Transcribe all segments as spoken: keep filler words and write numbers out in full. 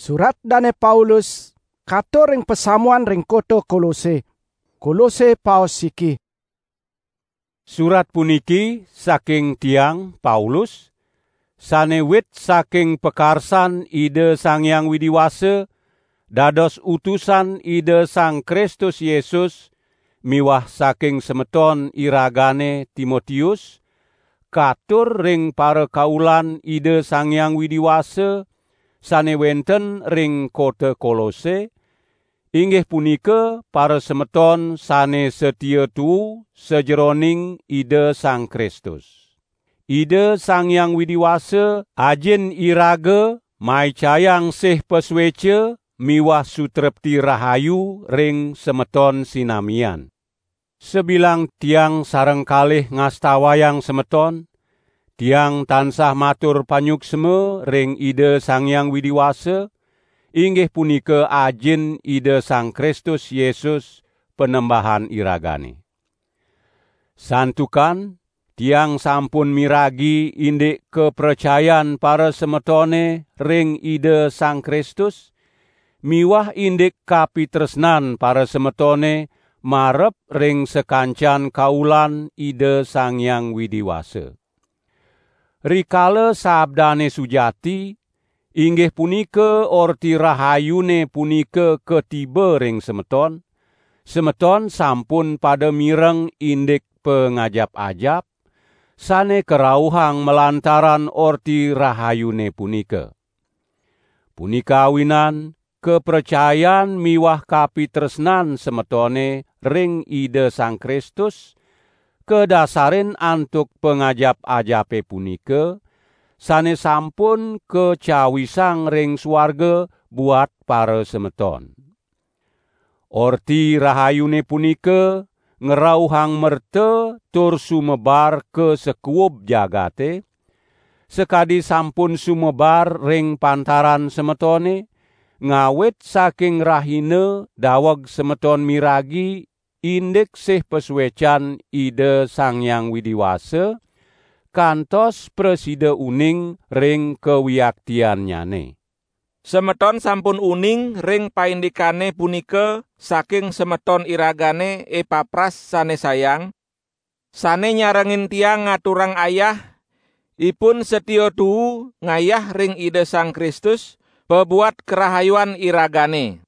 Surat dane Paulus katur ring pasamuan ring kota Kolose. Kolose paos siki. Surat puniki saking tiang, Paulus, sane wit saking pakarsan Ida Sang Hyang Widi Wasa, dados utusan Ida Sang Kristus Yesus, miwah saking semeton iragane Timotius, katur ring parakaulan Ida Sang Hyang Widi Wasa, sane wenten ring kota Kolose, inggih punika parasemeton sane satia tuu sajeroning Ida Sang Kristus. Ida Sang Hyang Widi Wasa, Ajin iraga, maicayang sih pasueca miwah sutrepti rahayu ring semeton sinamian. Sabilang tiang sareng kalih ngastawayang semeton, tiang tansah matur panyuksma ring Ida Sang Hyang Widi Wasa, inggih punika Ajin Ida Sang Kristus Yesus, Panembahan iragane. Santukan tiang sampun miragi indik kapracayan parasemetone ring Ida Sang Kristus, miwah indik kapitresnan parasemetone marep ring sakancan kaulan Ida Sang Hyang Widi Wasa. Rikala sabdane sujati, inggih punika Orti Rahayune punika katiba ring semeton, semeton sampun pada mireng indik pangajap-ajap, sane karauhang malantaran Orti Rahayune punika. Punika awinan, kapracayan miwah kapitresnan semetone ring Ida Sang Kristus, kadasarin antuk pangajap-ajape punika, sane sampun kacawisang ring suarga buat parasemeton. Orti Rahayune punika ngrauhang merta tur sumebar ka sakuub jagate, sakadi sampun sumebar ring pantaran semetone, ngawit saking rahina daweg semeton miragi indik sih pasuecan Ida Sang Hyang Widi Wasa, kantos prasida uning ring kawiaktiannyane. Semeton sampun uning ring paindikane punika saking semeton iragane Epapras sane sayang, sane nyarengin tiang ngaturang ayah, ipun satia tuu ngayah ring Ida Sang Kristus, pabuat karahayuan iragane.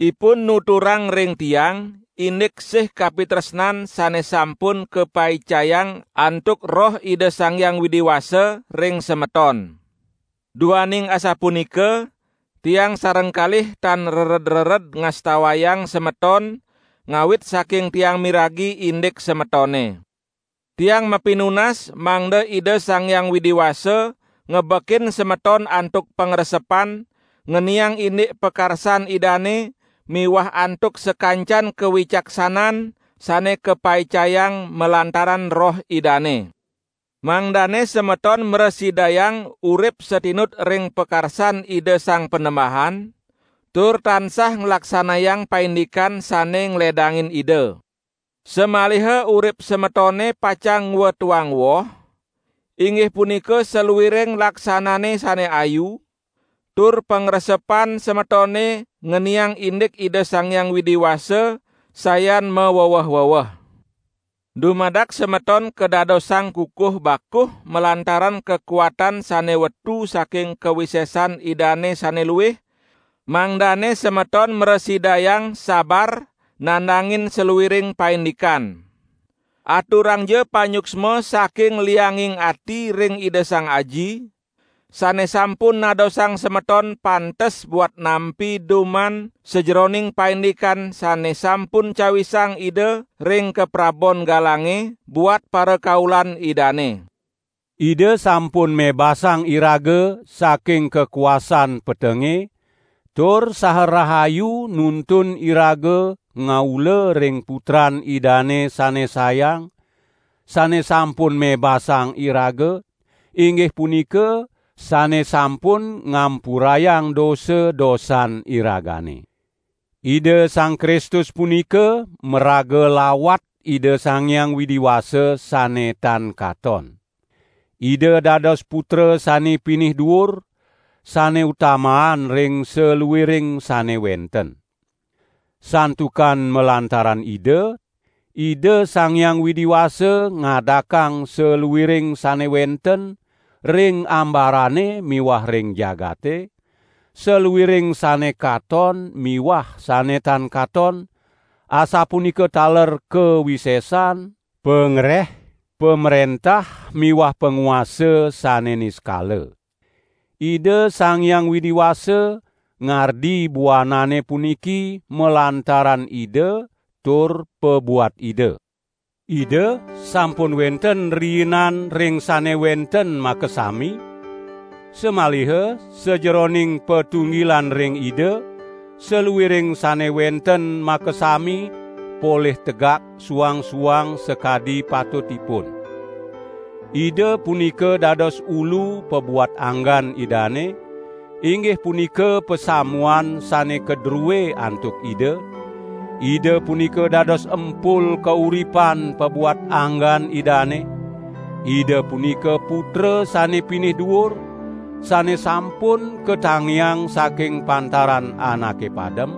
Ipun nuturang ring tiang, indik sih kapitresnan sane sampun kapaicayang antuk Roh Ida Sang Hyang Widi Wasa ring semeton. Duaning asapunika, tiang sareng kalih tan rered-rered ngastawayang semeton, ngawit saking tiang miragi indik semetone. Tiang mapinunas mangda Ida Sang Hyang Widi Wasa ngebekin semeton antuk pangresepan, ngeniang indik pakarsan Idane miwah antuk sakancan kawicaksanan sane kapaicayang malantaran Roh Idane. Mangdane semeton mrasidayang urip satinut ring pakarsan Ida Sang Panembahan, tur tansah nglaksanayang paindikan sane ngledangin Ida. Samaliha urip semetone pacang ngwetuang woh, inggih punika saluiring laksanane sane ayu, tur pangresepan semetone ngeniang indik Ida Sang Hyang Widi Wasa sayan maweweh-weweh. Dumadak semeton kadadosang kukuh bakuh malantaran kakuatan sane wetu saking kawisesan Idane sane luih, mangdane semeton mrasidayang sabar nandangin saluiring paindikan. Aturangja panyuksma saking lianging ati ring Ida Sang Aji, sane sampun nadosang semeton pantes buat nampi duman sajeroning paindikan sane sampun cawisang Ida ring kaprabon galange buat parakaulan Idane. Ida sampun mebasang iraga saking kakuasan petenge, tur saha rahayu nuntun iraga ngaula ring Putran Idane sane sayang, sane sampun mebasang iraga, inggih punika sane sampun ngampurayang dosa-dosan iragane. Ida Sang Kristus punika maraga lawat Ida Sang Hyang Widi Wasa sane tan katon. Ida dados Putra sane pinih duur, sane utamaan ring saluiring sane wenten. Santukan malantaran Ida, Ida Sang Hyang Widi Wasa ngadakang saluiring sane wenten ring ambarane miwah ring jagate, saluiring sane katon miwah sane tan katon, asapunika taler kawisesan, pangreh, pamrentah miwah panguasa sane niskala. Ida Sang Hyang Widi Wasa ngardi buanane puniki malantaran Ida tur pabuat Ida. Ida sampun wenten riinan ring sane wenten makasami, samaliha sajeroning patunggilan ring Ida, saluiring sane wenten makasami polih tegak suang-suang sakadi patutipun. Ida punika dados ulu pabuat anggan Idane, inggih punika pasamuan sane kadrue antuk Ida. Ida punika dados empul kauripan pabuat anggan Idane. Ida punika Putra sane pinih duur, sane sampun katangiang saking pantaran anake padem,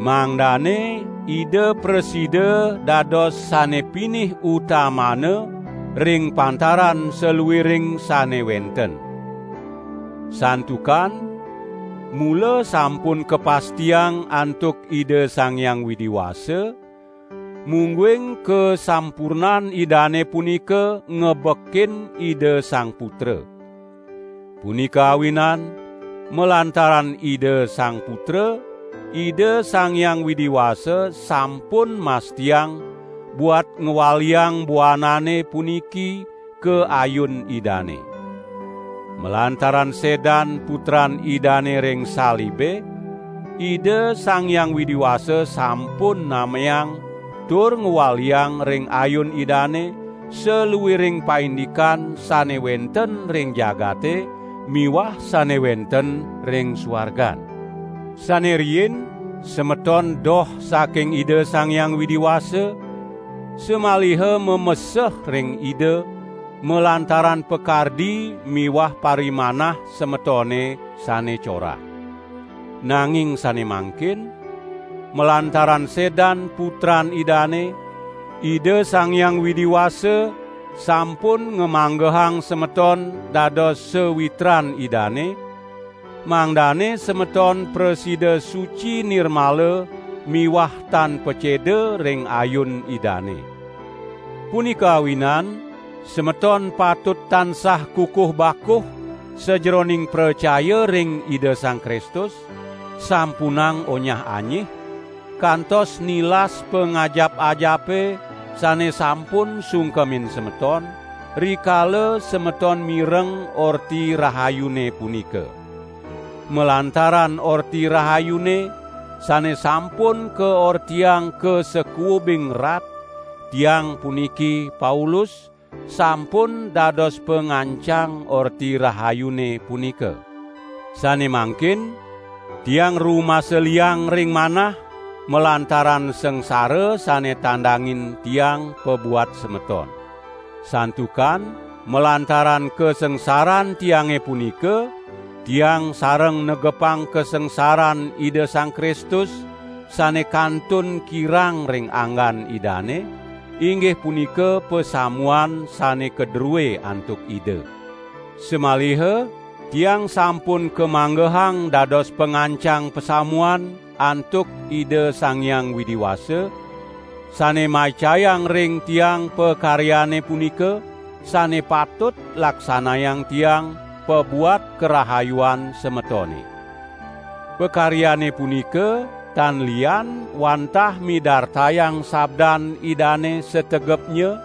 mangdane Ida prasida dados sane pinih utamana ring pantaran saluiring sane wenten. Santukan mula sampun kapastiang antuk Ida Sang Hyang Widi Wasa, mungguing kasampurnan Idane punika ngebekin Ida Sang Putra. Punika awinan, malantaran Ida Sang Putra, Ida Sang Hyang Widi Wasa sampun mastiang buat ngwaliang buanane puniki ka ayun Idane. Malantaran sedan Putran Idane ring salibe, Ida Sang Hyang Widi Wasa sampun nameang tur ngwaliang ring ayun Idane saluiring paindikan sane wenten ring jagate miwah sane wenten ring suargan. Sane riin, semeton doh saking Ida Sang Hyang Widi Wasa, samaliha mameseh ring Ida malantaran pakardi miwah parimanah semetone sane corah. Nanging sane mangkin, malantaran sedan Putran Idane, Ida Sang Hyang Widi Wasa sampun ngamanggehang semeton dados sawitran Idane, mangdane semeton prasida suci nirmala miwah tan paceda ring ayun Idane. Punika awinan, semeton patut tansah kukuh bakuh sajeroning pracaya ring Ida Sang Kristus, sampunang onyah-anyih, kantos nilas pangajap-ajape sane sampun sungkemin semeton, rikala semeton mireng Orti Rahayune punika. Malantaran Orti Rahayune sane sampun kaortiang ka sakuubing rat, tiang puniki Paulus, sampun dados pangancang Orti Rahayune punika. Sane mangkin, tiang rumasa liang ring manah, malantaran sangsara sane tandangin tiang pabuat semeton. Santukan malantaran kasangsaran tiange punika, tiang sareng negepang kasangsaran Ida Sang Kristus, sane kantun kirang ring anggan Idane, inggih punika pasamuan sane kadrue antuk Ida. Samaliha tiang sampun kamanggehang dados pangancang pasamuan antuk Ida Sang Hyang Widi Wasa, sane maicayang ring tiang pakaryane punika, sane patut laksanayang tiang pabuat karahayuan semetone. Pakaryane punika tan lian wantah midartayang sabdan Idane sategepnya,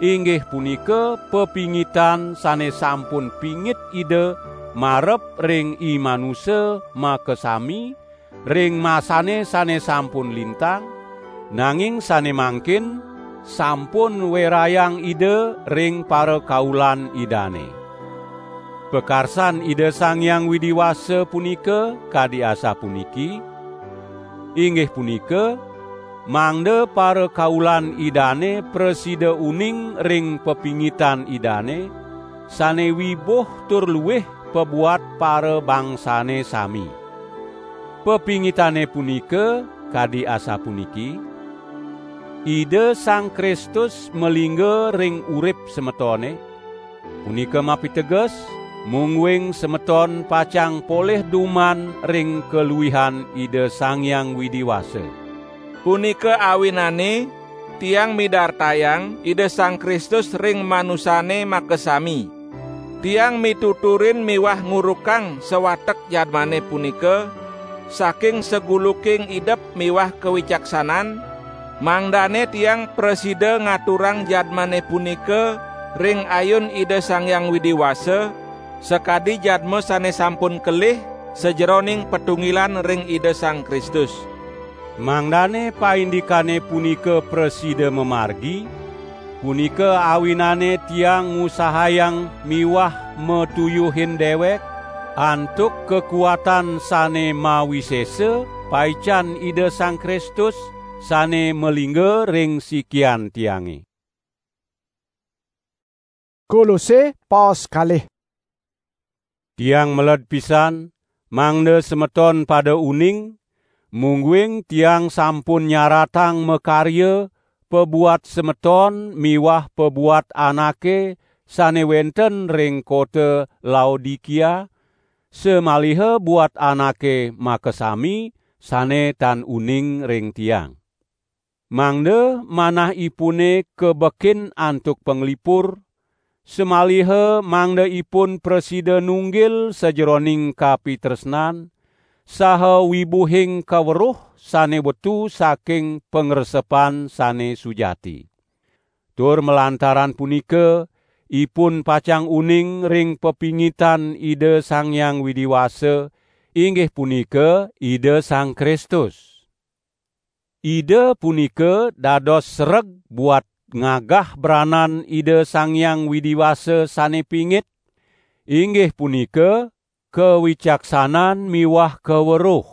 inggih punika pepingitan sane sampun pingit Ida marep ring i manusa makasami, ring masane sane sampun lintang, nanging sane mangkin sampun werayang Ida ring parakaulan Idane. Pakarsan Ida Sang Hyang Widi Wasa punika kadi asapuniki, inggih punika, mangda parakaulan Idane prasida uning ring pepingitan Idane, sane wibuh tur luih pabuat parabangsane sami. Pepingitane punika kadi asapuniki: Ida Sang Kristus malingga ring urip semetone, punika mapiteges, mungguing semeton pacang polih duman ring kaluihan Ida Sang Hyang Widi Wasa. Punika awinane tiang midartayang Ida Sang Kristus ring manusane makasami. Tiang mituturin miwah ngurukang sawatek jadmane punika saking saguluking idep miwah kawicaksanan, mangdane tiang prasida ngaturang jadmane punika ring ayun Ida Sang Hyang Widi Wasa, sakadi jadma sane sampun kelih sajeroning patunggilan ring Ida Sang Kristus. Mangdane paindikane punika prasida mamargi, punika awinane tiang ngusahayang miwah matuyuhin dewek antuk kakuatan sane mawisesa paican Ida Sang Kristus sane malingga ring sikian tiange. Kolose, paos kalih. Tiang meled pisan, mangda semeton pada uning, mungguing tiang sampun nyaratang makarya pabuat semeton miwah pabuat anake sane wenten ring kota Laodikia, samaliha buat anake makasami sane tan uning ring tiang. Mangda manahipune kabekin antuk panglipur, samaliha mangda ipun prasida nunggil sajeroning kapitresnan saha wibuhing kaweruh sane wetu saking pangresepan sane sujati. Tur malantaran punika, ipun pacang uning ring pepingitan Ida Sang Hyang Widi Wasa, inggih punika Ida Sang Kristus. Ida punika dados sereg buat ngagah branan Ida Sang Hyang Widi Wasa sane pingit, inggih punika kawicaksanan miwah kaweruh.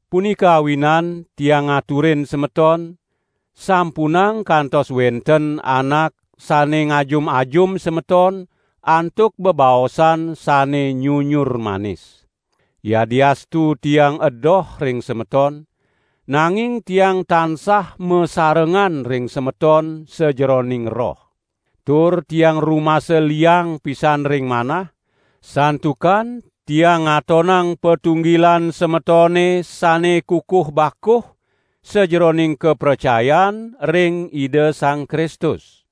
Punika awinan tiang ngaturin semeton, sampunang kantos wenten anak sane ngajum-ajum semeton antuk bebaosan sane nyunyur manis. Yadiastu tiang edoh ring semeton, nanging tiang tansah masarengan ring semeton sajeroning roh. Tur tiang rumasa liang pisan ring manah, santukan tiang ngatonang patunggilan semetone sane kukuh bakuh sajeroning kapracayan ring Ida Sang Kristus.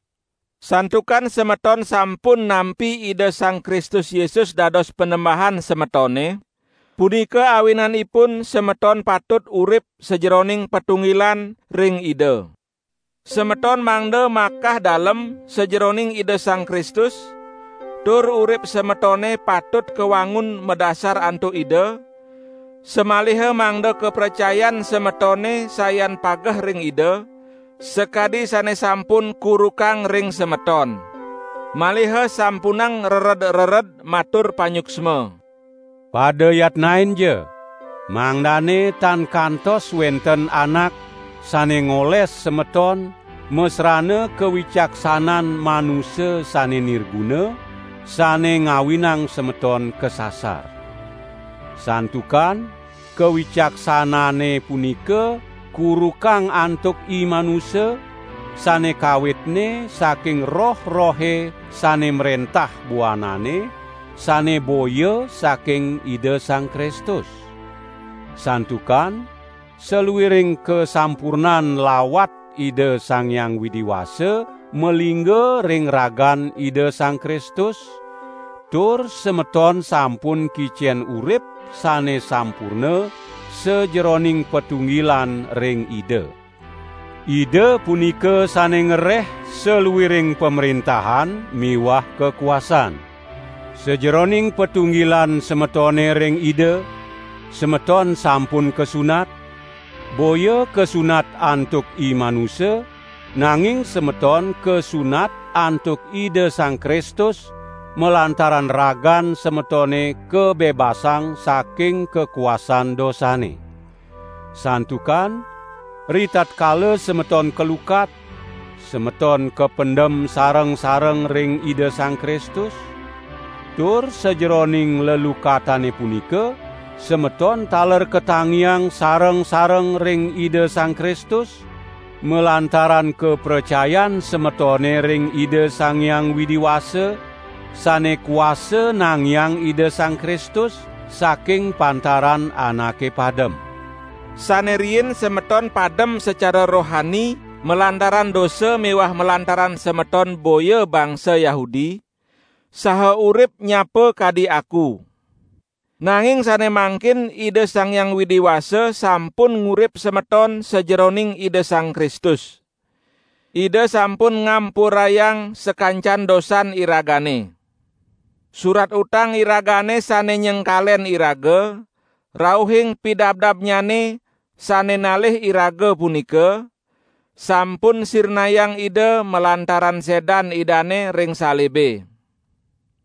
Santukan semeton sampun nampi Ida Sang Kristus Yesus dados Panembahan semetone, punika awinanipun semeton patut urip sajeroning patunggilan ring Ida. Semeton mangda makah dalem sajeroning Ida Sang Kristus, tur urip semetone patut kawangun madasar antuk Ida, samaliha mangda kapracayan semetone sayan pageh ring Ida, sakadi sane sampun kurukang ring semeton. Maliha sampunang rered-rered matur panyuksma. Pada yatnainja, mangdane tan kantos wenten anak sane ngoles semeton masrana kawicaksanan manusa sane nirguna, sane ngawinang semeton kasasar. Santukan kawicaksanane punika kurukang antuk i manusa, sane kawitne saking roh-rohe sane mrentah buanane, sane boya saking Ida Sang Kristus. Santukan saluiring kasampurnan lawat Ida Sang Hyang Widi Wasa malingga ring ragan Ida Sang Kristus, tur semeton sampun kicen urip sane sampurna sajeroning patunggilan ring Ida. Ida punika sane ngereh saluiring pamrentahan miwah kakuasan. Sajeroning patunggilan semetone ring Ida, semeton sampun kasunat, boya kasunat antuk i manusa, nanging semeton kasunat antuk Ida Sang Kristus, malantaran ragan semetone kabebasang saking kakuasan dosane. Santukan, ritatkala semeton kalukat, semeton kapendem sareng-sareng ring Ida Sang Kristus, Tur sajeroning lelukatane punika, semeton taler katangiang sareng-sareng ring Ida Sang Kristus, malantaran kapracayan semetone ring Ida Sang Hyang Widi Wasa, sane kuasa nangiang Ida Sang Kristus saking pantaran anake padem. Sane riin semeton padem secara rohani malantaran dosa miwah malantaran semeton boya bangsa Yahudi, saha urip nyapa kadi aku. Nanging sane mangkin Ida Sang Hyang Widi Wasa sampun ngurip semeton sajeroning Ida Sang Kristus. Ida sampun ngampurayang sakancan dosan iragane. Surat utang iragane sane nyengkalen iraga, rauhing pidabdabnyane sane nalih iraga punika, sampun sirnayang Ida malantaran sedan Idane ring salibe.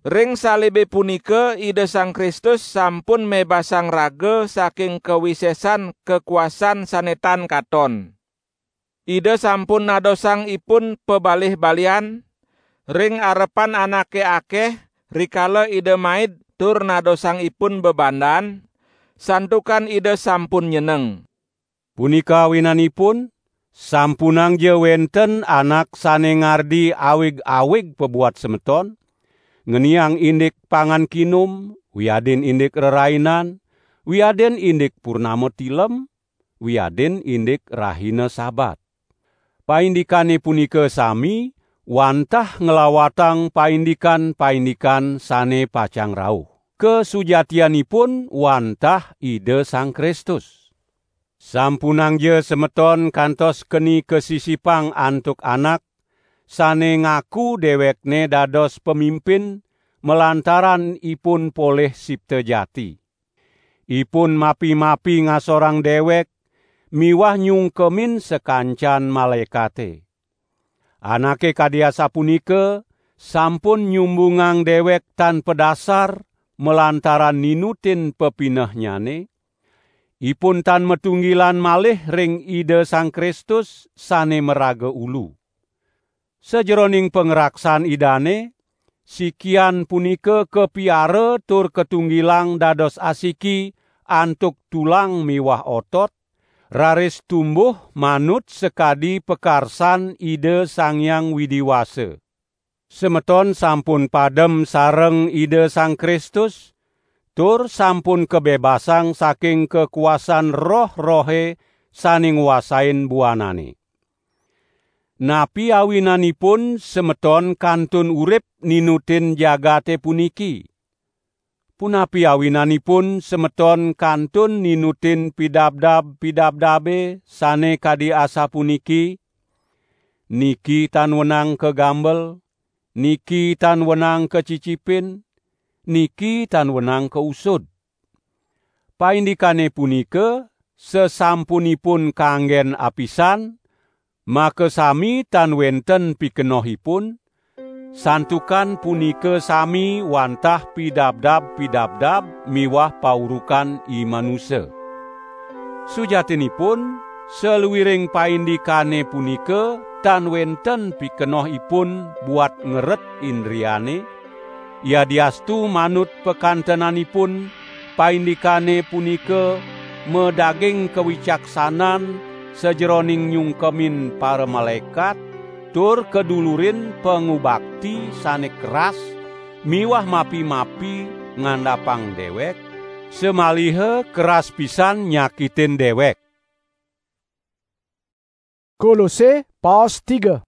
Ring salibe punika Ida Sang Kristus sampun mebasang raga saking kawisesan kakuasan sane tan katon. Ida sampun nadosang ipun pabalih-balian ring arepan anake akeh, rikala Ida maid tur nadosang ipun bebandan, santukan Ida sampun nyeneng. Punika awinanipun, sampunangja wenten anak sane ngardi awig-awig pabuat semeton, ngeniang indik pangan kinum, wiadin indik rerainan, wiadin indik purnama tilem, wiadin indik rahina Sabat. Paindikane punika sami wantah nglawatang paindikan-paindikan sane pacang rauh. Kasujatianipun wantah Ida Sang Kristus. Sampunangja semeton kantos keni kasisipang antuk anak sane ngaku dewekne dados pamimpin malantaran ipun polih sipta jati. Ipun mapi-mapi ngasorang dewek miwah nyungkemin sakancan malaekate. Anake kadi asapunika sampun nyumbungang dewek tan padasar malantaran ninutin pepinehnyane, ipun tan matunggilan malih ring Ida Sang Kristus sane maraga ulu. Sajeroning pangraksan Idane, sikian punika kapiara tur katunggilang dados asiki antuk tulang miwah otot, raris tumbuh manut sakadi pakarsan Ida Sang Hyang Widi Wasa. Semeton sampun padem sareng Ida Sang Kristus, tur sampun kabebasang saking kakuasan roh-rohe sane nguasain buanane. Napi awinanipun semeton kantun urip ninutin jagate puniki? Punapi awinanipun semeton kantun ninutin pidabdab-pidabdabe sane kadi asapuniki: "Niki tan wenang kagambel, niki tan wenang kacicipin, niki tan wenang kausud"? Paindikane punika sasampunipun kanggen apisan, makasami tan wenten pikenohipun, santukan punika sami wantah pidabdab-pidabdab miwah paurukan i manusa. Sujatinipun, saluiring paindikane punika tan wenten pikenohipun buat ngeret indriane, yadiastu manut pakantenanipun, paindikane punika madaging kawicaksanan sajeroning nyungkemin paramalaekat, tur kadulurin pangubakti sane keras miwah mapi-mapi ngandapang dewek, samaliha keras pisan nyakitin dewek. Kolose, paos tiga.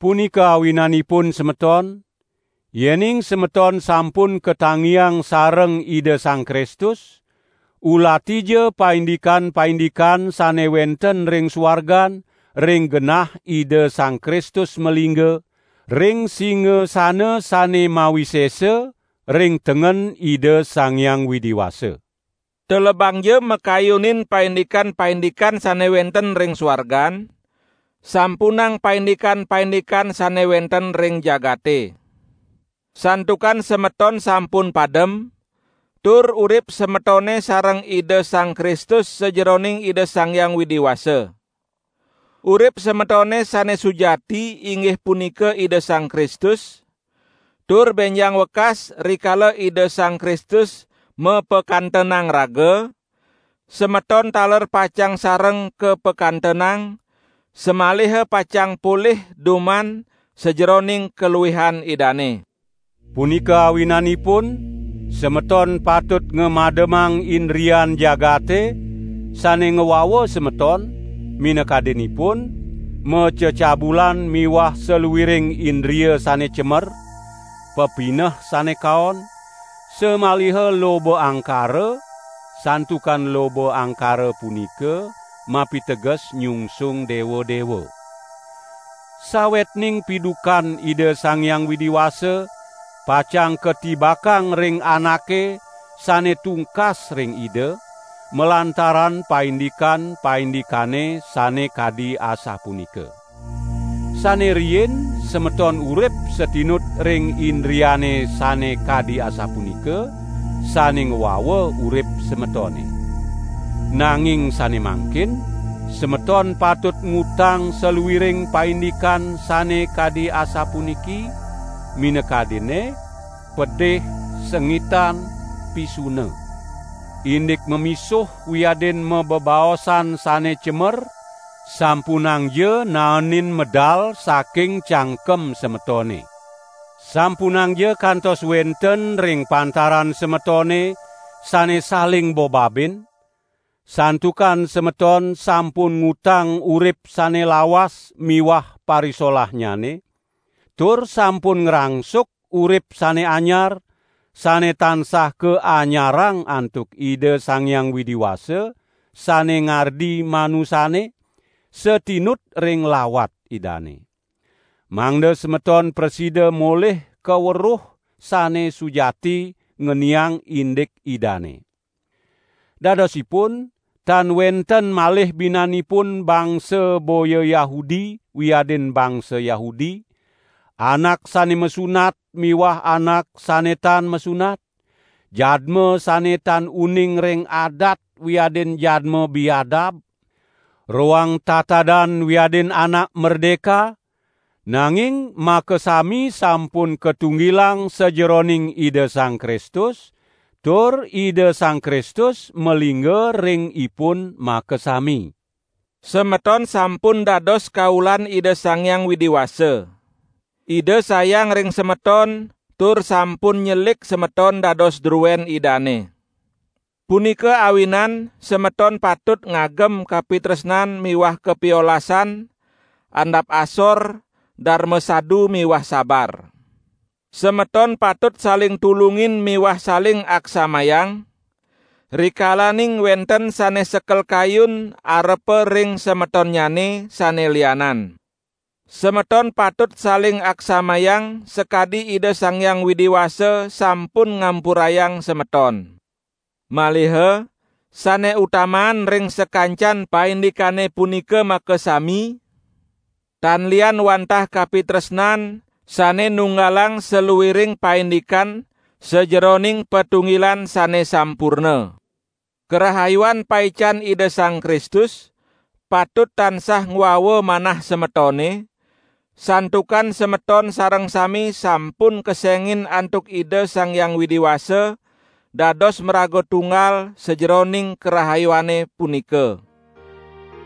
Punika awinanipun semeton, yening semeton sampun katangiang sareng Ida Sang Kristus, ulatija paindikan-paindikan sane wenten ring suargan, ring genah Ida Sang Kristus malingga, ring singasana sane mawisesa, ring tengen Ida Sang Hyang Widi Wasa. Telebangja makayunin paindikan-paindikan sane wenten ring suargan, sampunang paindikan-paindikan sane wenten ring jagate. Santukan semeton sampun padem, tur urip semetone sareng Ida Sang Kristus sajeroning Ida Sang Hyang Widi Wasa. Urip semetone sane sujati inggih punika Ida Sang Kristus, tur bénjang wekas rikala Ida Sang Kristus mapakantenang raga, semeton taler pacang sareng kapakantenang, samaliha pacang polih duman sajeroning kaluihan Idane. Punika awinanipun, semeton patut ngamademang indrian jagate sane ngwawa semeton, minakadinipun, macecabulan miwah saluiring indria sane cemer, pepineh sane kaon, samaliha loba angkara, santukan loba angkara punika mapiteges nyungsung dewa-dewa. Sawetning pidukan Ida Sang Hyang Widi Wasa pacang katibakang ring anake sane tungkas ring Ida, malantaran paindikan-paindikane sane kadi asapunika. Sane riin semeton urip satinut ring indriane sane kadi asapunika, sane ngwawa urip semetone. Nanging sane mangkin, semeton patut ngutang saluiring paindikan sane kadi asapuniki, minakadine pedih, sengitan, pisuna. Indik mamisuh wiadin mabebaosan sane cemer, sampunangja naenin medal saking cangkem semetone. Sampunangja kantos wenten ring pantaran semetone sane saling bobabin, santukan semeton sampun ngutang urip sane lawas miwah parisolahnyane, tur sampun ngrangsuk urip sane anyar, sane tansah kaanyarang antuk Ida Sang Hyang Widi Wasa, sane ngardi manusane, satinut ring lawat Idane. Mangda semeton prasida molih kaweruh sane sujati ngeniang indik Idane. Dadosipun, tan wenten malih binanipun bangsa boya Yahudi wiadin bangsa Yahudi, anak sane masunat miwah anak sane tan masunat, jadma sane tan uning ring adat wiadin jadma biadab, roang tatadan wiadin anak merdeka, nanging makasami sampun katunggilang sajeroning Ida Sang Kristus, tur Ida Sang Kristus malingga ring ipun makasami. Semeton sampun dados kaulan Ida Sang Hyang Widi Wasa. Ida sayang ring semeton, tur sampun nyelik semeton dados druen Idane. Punika awinan semeton patut ngagem kapitresnan miwah kapiolasan, andap asor, darma sadu miwah sabar. Semeton patut saling tulungin miwah saling aksamayang, rikalaning wenten sane sekel kayun arepa ring semetonnyane sane lianan. Semeton patut saling aksamayang sakadi Ida Sang Hyang Widi Wasa sampun ngampurayang semeton. Maliha, sane utamaan ring sakancan paindikane punika makasami, tan lian wantah kapitresnan sane nunggalang saluiring paindikan sajeroning patunggilan sane sampurna. Karahayuan paican Ida Sang Kristus patut tansah ngwawa manah semetone, santukan semeton sareng sami sampun kesengin antuk Ida Sang Hyang Widi Wasa dados maraga tunggal sajeroning karahayuane punika.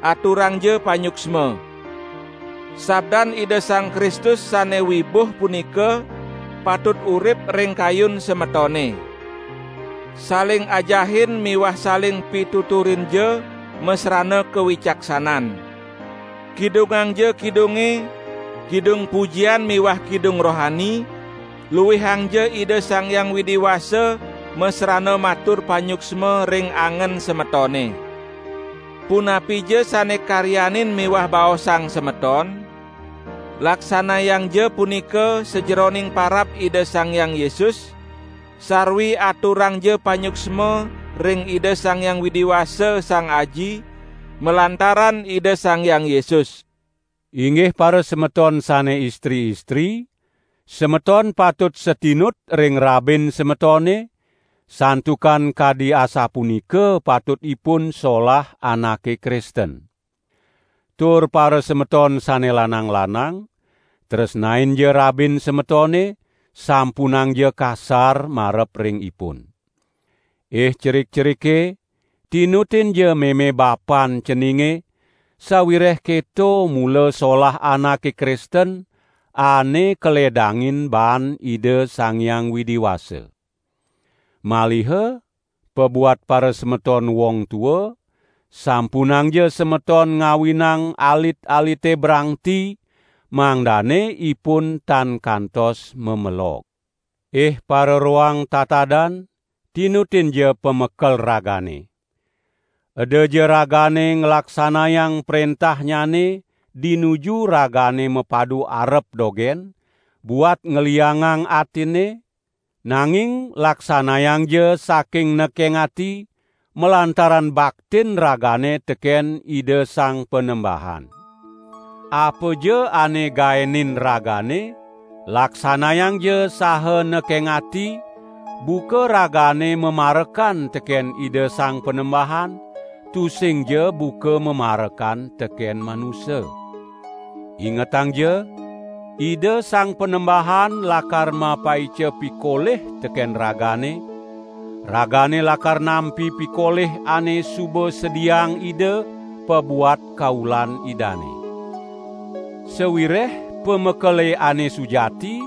Aturangja panyuksma. Sabdan Ida Sang Kristus sane wibuh punika patut urip ring kayun semetone. Saling ajahin miwah saling pituturinja masrana kawicaksanan. Kidungangja kidunge, kidung pujian miwah kidung rohani, luihangja Ida Sang Hyang Widi Wasa masrana matur panyuksma ring angen semetone. Punapija sane karyanin miwah baosang semeton, laksanayangja punika sajeroning parab Ida Sang Hyang Yesus, sarwi aturangja panyuksma ring Ida Sang Hyang Widi Wasa Sang Aji, malantaran Ida Sang Hyang Yesus. Inggih parasemeton sane istri-istri, semeton patut satinut ring rabin semetone, santukan kadi asapunika patut ipun solah anake Kristen. Tur parasemeton sane lanang-lanang, tresnainja rabin semetone, sampunangja kasar marep ring ipun. Ih cerik-cerike, tinutinja meme bapan ceninge, sawireh keto mula solah anake Kristen ane kaledangin baan Ida Sang Hyang Widi Wasa. Maliha pabuat parasemeton wong tua, sampunangja semeton ngawinang alit-alite brangti, mangdane ipun tan kantos mamelog. Ih pararoang tatadan, tinutinja pamekel ragane. Edaja ragane nglaksanayang prentahnyane dinuju ragane mapadu arep dogen, buat ngliangang atine, nanging laksanayangja saking nekeng ati, malantaran baktin ragane teken Ida Sang Panembahan. Apaja ane gaenin ragane, laksanayangja saha nekeng ati, buka ragane mamarekan teken Ida Sang Panembahan, tusingja buka mamarekan teken manusa. Ingetangja, Ida Sang Panembahan lakar mapaica pikolih teken ragane, ragane lakar nampi pikolih ane suba sediaang Ida pabuat kaulan Idane. Sawireh pamekele ane sujati,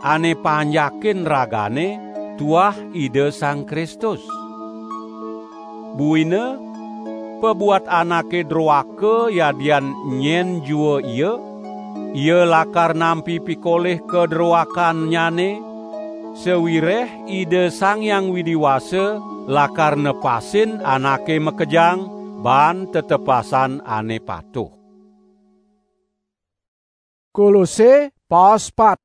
ane panjakin ragane, tuah Ida Sang Kristus. Buina, pabuat anake droaka yadian nyen jua ia, ia lakar nampi pikolih kadroakannyane, sawireh Ida Sang Hyang Widi Wasa lakar nepasin anake makejang baan tetepasan ane patuh. Kolose paspat.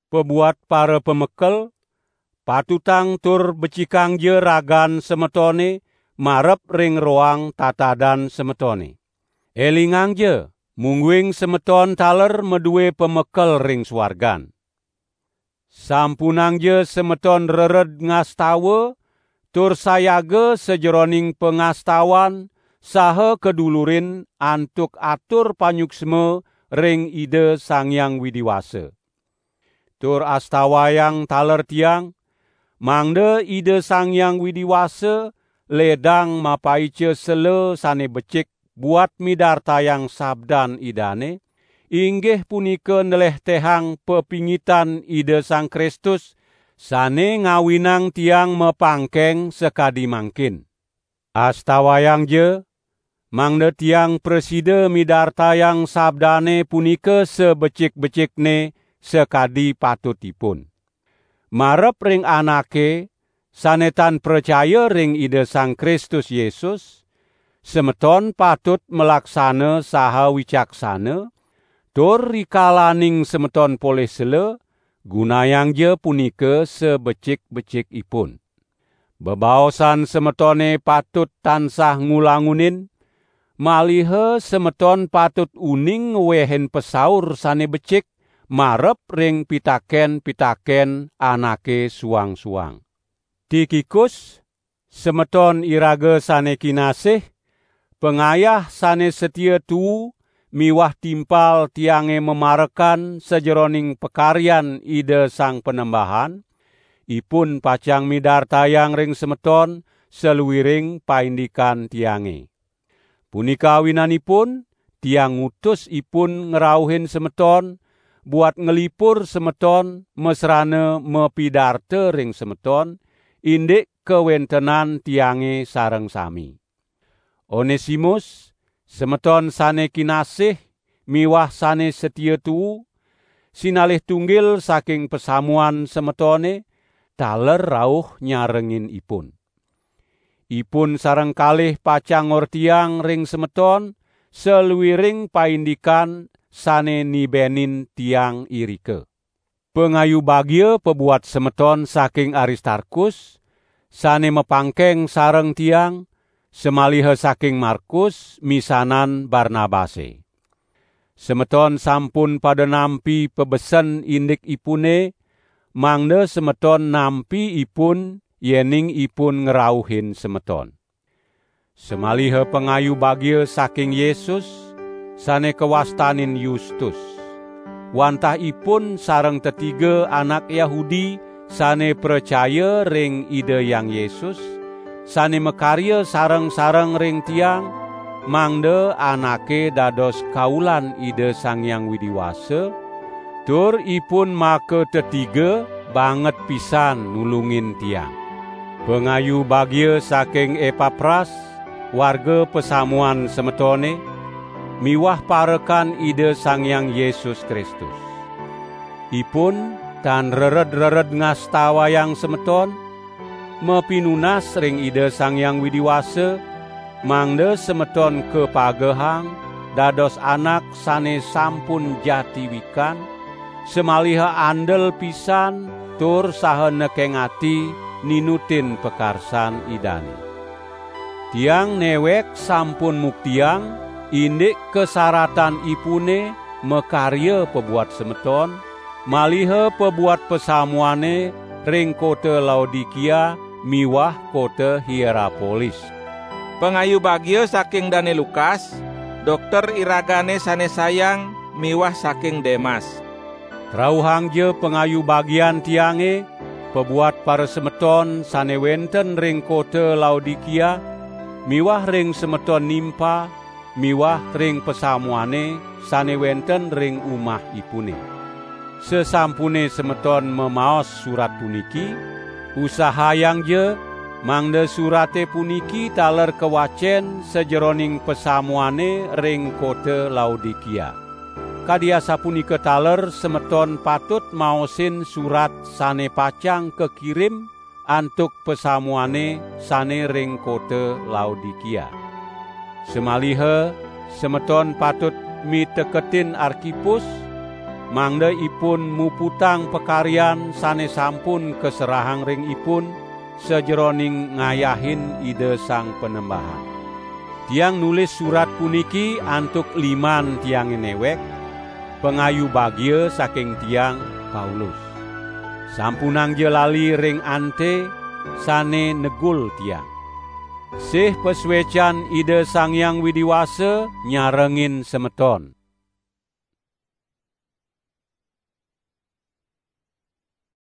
Pabuat para pamekel, patutang tur becikangja ragan semetone marep ring roang tatadan semetone. Elingangja, mungguing semeton taler madue pamekel ring suargan. Sampunangja semeton rered ngastawa, tur sayaga sajeroning pangastawan saha kadulurin antuk atur panyuksma ring Ida Sang Hyang Widi Wasa. Tur astawayang taler tiang, mangda Ida Sang Hyang Widi Wasa ledang mapaica sela sane becik buat midartayang sabdan Idane, inggih punika nlehtehang pepingitan Ida Sang Kristus, sane ngawinang tiang mapangkeng sakadi mangkin. Astawayangja, mangda tiang prasida midartayang sabdane punika sabecik-becikne sakadi patutipun. Marep ring anake sane tan pracaya ring Ida Sang Kristus Yesus, semeton patut malaksana saha wicaksana, tur rikalaning semeton polih sela, gunayangja punika sabecik-becikipun. Bebaosan semetone patut tansah ngulangunin, maliha semeton patut uning ngwehin pasaur sane becik marep ring pitaken-pitaken anake suang-suang. Tikikus, semeton iraga sane kinasih, pangayah sane satia tuu miwah timpal tiange mamarekan sajeroning pakaryan Ida Sang Panembahan, ipun pacang midartayang ring semeton saluiring paindikan tiange. Punika awinanipun, tiang ngutus ipun ngrauhin semeton, buat nglipur semeton, masrana mapidarta ring semeton, indik kawentenan tiange sareng sami. Onesimus, semeton sane kinasih miwah sane satia tuu, sinalih tunggil saking pasamuan semetone, taler rauh nyarengin ipun. Ipun sareng kalih pacang ngortiang ring semeton saluiring paindikan sane nibenin tiang irika. Pangayu bagia pabuat semeton saking Aristarkus, sane mapangkeng sareng tiang, samaliha saking Markus misanan Barnabase. Semeton sampun pada nampi pabesen indikipune, mangda semeton nampi ipun yening ipun ngrauhin semeton. Samaliha pangayu bagia saking Yesus, sane kawastanin Yustus. wantah ipun sareng tetiga anak Yahudi sane pracaya ring Ida Hyang Yesus, sane makarya sareng-sareng ring tiang, mangda anake dados kaulan Ida Sang Hyang Widi Wasa, tur ipun makatetiga banget pisan nulungin tiang. Pangayu bagia saking Epapras, warga pasamuan semetone, miwah parekan Ida Sang Hyang Yesus Kristus. Ipun tan rered-rered ngastawayang semeton, mapinunas ring Ida Sang Hyang Widi Wasa, mangda semeton kapagehang dados anak sane sampun jati wikan, samaliha andel pisan tur saha nekeng ati ninutin pakarsan Idane. Tiang newek sampun muktiang indik kasaratanipune makarya pabuat semeton, maliha pabuat pasamuane ring kota Laodikia miwah kota Hierapolis. Pangayu bagia saking Dane Lukas, dokter iragane sane sayang miwah saking Demas. Rauhangja pangayu bagian tiange pabuat parasemeton sane wenten ring kota Laodikia, miwah ring semeton Nimpa, miwah ring pasamuane sane wenten ring umahipune. Sasampune semeton mamaos surat puniki, usahayangja mangda surate puniki taler kawacen sajeroning pasamuane ring kota Laodikia. Kadi asapunika taler semeton patut maosin surat sane pacang kakirim antuk pasamuane sane ring kota Laodikia. Samaliha semeton patut miteketin Arkipus, mangda ipun muputang pakaryan sane sampun kaserahang ring ipun sajeroning ngayahin Ida Sang Panembahan. Tiang nulis surat puniki antuk liman tiange newek, pangayu bagia saking tiang, Paulus. Sampunangja lali ring ante sane negul tiang. Sih pasuecan Ida Sang Hyang Widi Wasa nyarengin semeton.